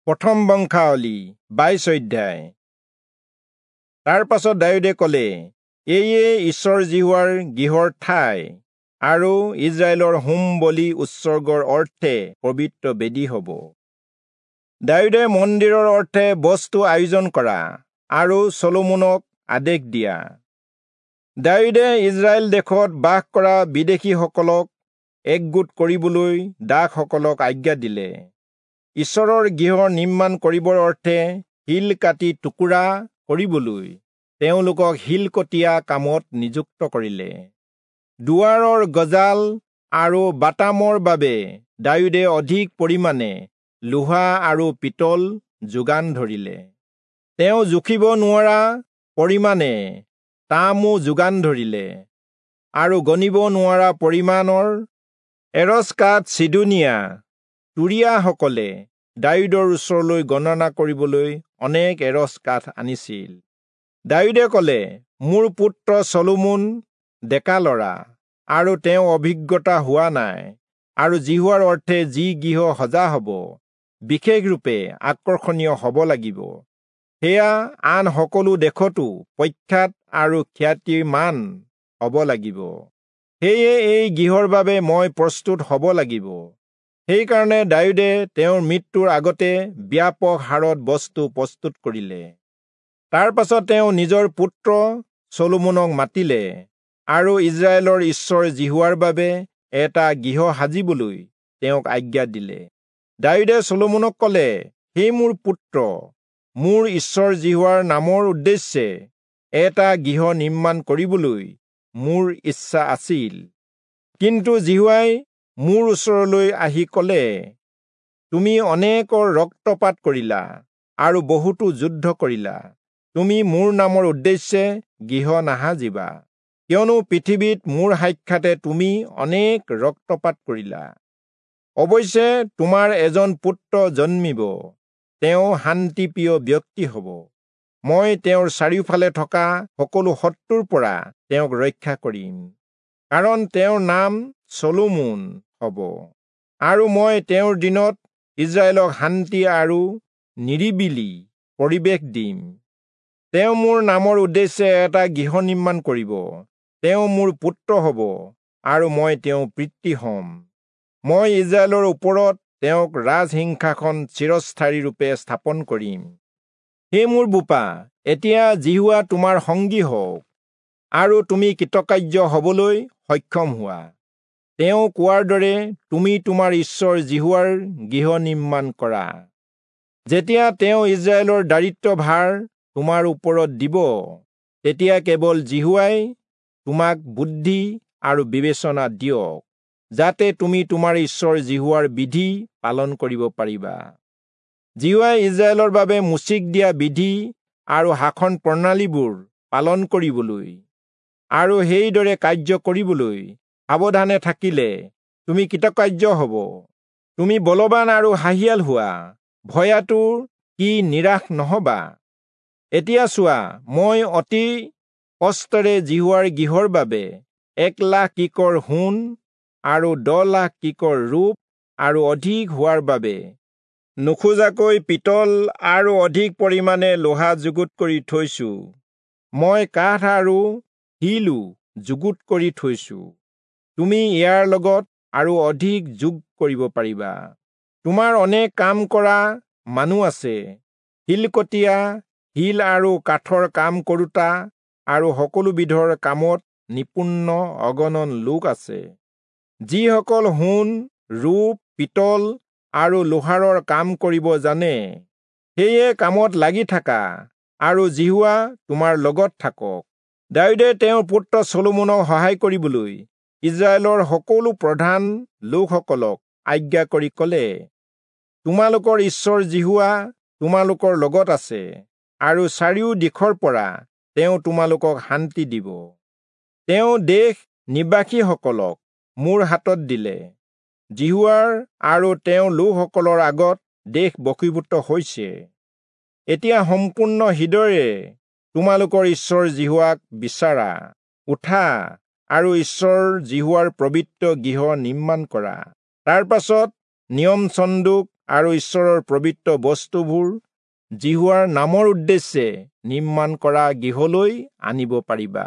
প্ৰথম বংশাৱলী 22 অধ্যায়। তাৰ পাছত দায়ূদে ক'লে, এয়ে ঈশ্বৰ যিহোৱাৰ গৃহৰ ঠাই আৰু ইস্ৰায়েলৰ হোম বলি উৎসৰ্গৰ অৰ্থে পবিত্ৰ বেদী হ'ব। দায়ূদে মন্দিৰৰ অৰ্থে বস্তু আয়োজন কৰা আৰু চলোমনক আদেশ দিয়া। দায়ূদে ইস্ৰায়েল দেশত বাস কৰা বিদেশীসকলক একগোট কৰিবলৈ দাসসকলক আজ্ঞা দিলে। ঈশ্বৰৰ গৃহ নিৰ্মাণ কৰিবৰ অৰ্থে শিল কাটি টুকুৰা কৰিবলৈ তেওঁলোকক শিলকটীয়া কামত নিযুক্ত কৰিলে। দুৱাৰৰ গজাল আৰু বাটামৰ বাবে দায়ূদে অধিক পৰিমাণে লোহা আৰু পিতল যোগান ধৰিলে। তেওঁ জুখিব নোৱাৰা পৰিমাণে তামো যোগান ধৰিলে আৰু গণিব নোৱাৰা পৰিমাণৰ এৰচ কাঠ চিদোনীয়া তুৰীয়াসকলে দায়ূদৰ ওচৰলৈ গণনা কৰিবলৈ অনেক এৰচ কাঠ আনিছিল। দায়ূদে ক'লে, মোৰ পুত্ৰ চলোমন ডেকা ল'ৰা আৰু তেওঁ অভিজ্ঞতা হোৱা নাই, আৰু যিহোৱাৰ অৰ্থে যি গৃহ সজা হ'ব বিশেষৰূপে আকৰ্ষণীয় হ'ব লাগিব, সেয়া আন সকলো দেশতো প্ৰখ্যাত আৰু খ্যাতিমান হ'ব লাগিব। সেয়ে এই গৃহৰ বাবে মই প্ৰস্তুত হ'ব লাগিব। সেইকাৰণে দায়ূদে তেওঁৰ মৃত্যুৰ আগতে ব্যাপক হাৰত বস্তু প্ৰস্তুত কৰিলে। তাৰ পাছত তেওঁ নিজৰ পুত্ৰ চলোমনক মাতিলে আৰু ইস্ৰায়েলৰ ঈশ্বৰ যিহোৱাৰ বাবে এটা গৃহ সাজিবলৈ তেওঁক আজ্ঞা দিলে। দায়ূদে চলোমনক ক'লে, হে মোৰ পুত্ৰ, মোৰ ঈশ্বৰ যিহোৱাৰ নামৰ উদ্দেশ্যে এটা গৃহ নিৰ্মাণ কৰিবলৈ মোৰ ইচ্ছা আছিল। কিন্তু যিহোৱাই মোৰ ওচৰলৈ আহি ক'লে, তুমি অনেকৰ ৰক্তপাত কৰিলা আৰু বহুতো যুদ্ধ কৰিলা। তুমি মোৰ নামৰ উদ্দেশ্যে গৃহ নাসাজিবা, কিয়নো পৃথিৱীত মোৰ সাক্ষাতে তুমি অনেক ৰক্তপাত কৰিলা। অৱশ্যে তোমাৰ এজন পুত্ৰ জন্মিব, তেওঁ শান্তিপ্ৰিয় ব্যক্তি হ'ব। মই তেওঁৰ চাৰিওফালে থকা সকলো শত্ৰুৰ পৰা তেওঁক ৰক্ষা কৰিম, কাৰণ তেওঁৰ নাম চলোমন হ'ব, আৰু মই তেওঁৰ দিনত ইস্ৰায়েলক শান্তি আৰু নিৰিবিলি পৰিৱেশ দিম। তেওঁ মোৰ নামৰ উদ্দেশ্যে এটা গৃহ নিৰ্মাণ কৰিব। তেওঁ মোৰ পুত্ৰ হ'ব আৰু মই তেওঁৰ পিতৃ হ'ম। মই ইস্ৰায়েলৰ ওপৰত তেওঁক ৰাজসিংহাসন চিৰস্থায়ীৰূপে স্থাপন কৰিম। হে মোৰ বোপা, এতিয়া যিহোৱা তোমাৰ সংগী হওক আৰু তুমি কৃতকাৰ্য হ'বলৈ সক্ষম হোৱা। তেওঁ কোৱাৰ দৰে তুমি তোমাৰ ঈশ্বৰ যিহোৱাৰ গৃহ নিৰ্মাণ কৰা। যেতিয়া তেওঁ ইস্ৰায়েলৰ দায়িত্বভাৰ তোমাৰ ওপৰত দিব, তেতিয়া কেৱল যিহোৱাই তোমাক বুদ্ধি আৰু বিবেচনা দিয়ক, যাতে তুমি তোমাৰ ঈশ্বৰ যিহোৱাৰ বিধি পালন কৰিব পাৰিবা। যিহোৱাই ইস্ৰায়েলৰ বাবে মোচিক দিয়া বিধি আৰু শাসন প্ৰণালীবোৰ পালন কৰিবলৈ আৰু সেইদৰে কাৰ্য কৰিবলৈ সাৱধানে থাকিলে তুমি কৃতকাৰ্য হ'ব। তুমি বলৱান আৰু সাহিয়াল হোৱা, ভয়াতুৰ কি নিৰাশ নহবা। এতিয়া চোৱা, মই অতি কষ্টেৰে যিহোৱাৰ গৃহৰ বাবে 1,00,000 কিকৰ সোণ আৰু 10,00,000 কিকৰ ৰূপ আৰু অধিক হোৱাৰ বাবে নোখোজাকৈ পিতল আৰু অধিক পৰিমাণে লোহা যুগুত কৰি থৈছো। মই কাঠ আৰু শিলো যুগুত কৰি থৈছো। তুমি ইয়াৰ লগত আৰু অধিক যোগ কৰিব পাৰিবা। তোমাৰ অনেক কাম কৰা মানুহ আছে, শিলকটীয়া, শিল আৰু কাঠৰ কাম কৰোঁতা আৰু সকলো বিধৰ কামত নিপুণ অগণন লোক আছে, যিসকল সোণ, ৰূপ, পিতল আৰু লোহাৰৰ কাম কৰিব জানে। সেয়ে কামত লাগি থাকা আৰু যিহোৱা তোমাৰ লগত থাকক। দায়ূদে তেওঁৰ পুত্ৰ চলোমনক সহায় কৰিবলৈ ইস্ৰায়েলৰ সকলো প্ৰধান লোকসকলক আজ্ঞা কৰি ক'লে, তোমালোকৰ ঈশ্বৰ যিহোৱা তোমালোকৰ লগত আছে আৰু চাৰিও দিশৰ পৰা তেওঁ তোমালোকক শান্তি দিব। তেওঁ দেশ নিবাসীসকলক মোৰ হাতত দিলে। যিহোৱাৰ আৰু তেওঁৰ লোকসকলৰ আগত দেশ বশীভূত হৈছে। এতিয়া সম্পূৰ্ণ হৃদয়েৰে তোমালোকৰ ঈশ্বৰ যিহোৱাক বিচাৰা। উঠা আৰু ঈশ্বৰ যিহোৱাৰ পবিত্ৰ গৃহ নিৰ্মাণ কৰা। তাৰ পাছত নিয়ম চন্দুক আৰু ঈশ্বৰৰ পবিত্ৰ বস্তুবোৰ যিহোৱাৰ নামৰ উদ্দেশ্যে নিৰ্মাণ কৰা গৃহলৈ আনিব পাৰিবা।